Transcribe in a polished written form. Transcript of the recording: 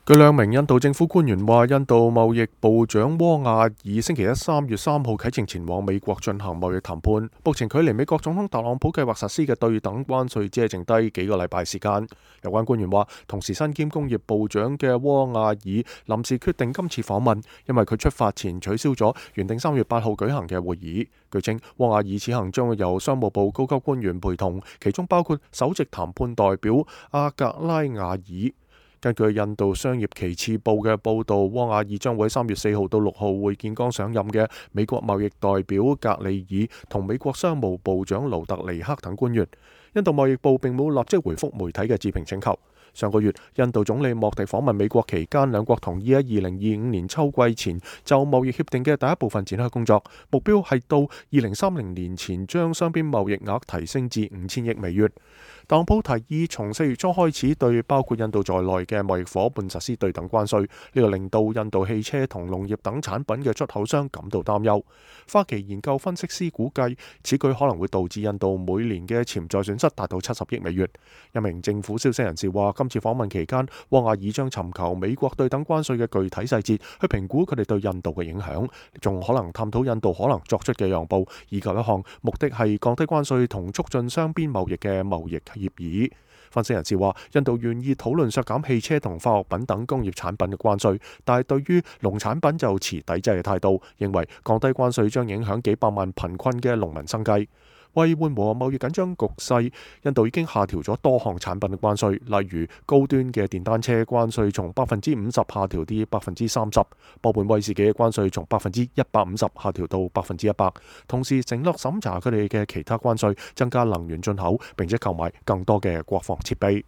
據兩名印度政府官員話，印度貿易部長汪亞爾星期一3月3號啟程前往美國進行貿易談判。目前距離美國總統特朗普計劃實施嘅對等關稅只係剩低幾個禮拜時間。有關官員話，同時身兼工業部長嘅汪亞爾臨時決定今次訪問，因為佢出發前取消咗原定3月8號舉行嘅會議。據稱，汪亞爾此行將會由商務部高級官員陪同，其中包括首席談判代表阿格拉亞爾。根據印度商業旗幟報嘅報導，汪亞爾將會喺3月4號到6號會見剛上任嘅美國貿易代表格里爾同美國商務部長盧特尼克等官員。印度貿易部並冇立即回覆媒體嘅置評請求。上個月，印度總理莫迪訪問美國期間，兩國同意喺2025年秋季前就貿易協定嘅第一部分展開工作，目標係到2030年前將雙邊貿易額提升至5000億美元。特朗普提議從4月初開始對包括印度在內嘅貿易夥伴實施對等關稅，呢個令到印度汽車同農業等產品嘅出口商感到擔憂。花旗研究分析師估計，此舉可能會導致印度每年嘅潛在損失達到70億美元。一名政府消息人士話，今次訪問期間，汪亞爾將尋求美國對等關稅嘅具體細節，去評估佢哋對印度嘅影響，仲可能探討印度可能作出嘅讓步，以及一項目的係降低關稅同促進雙邊貿易嘅貿易協議。分析人士話，印度願意討論削減汽車同化學品等工業產品嘅關稅，但係對於農產品就持抵制嘅態度，認為降低關稅將影響幾百萬貧困嘅農民生計。為緩和貿易緊張局勢，印度已經下調咗多項產品嘅關稅，例如高端嘅電單車關稅從50%下調至30%，波本威士忌嘅關稅從150%下調到100%，同時承諾審查佢哋嘅其他關稅，增加能源進口，並且購買更多嘅國防設備。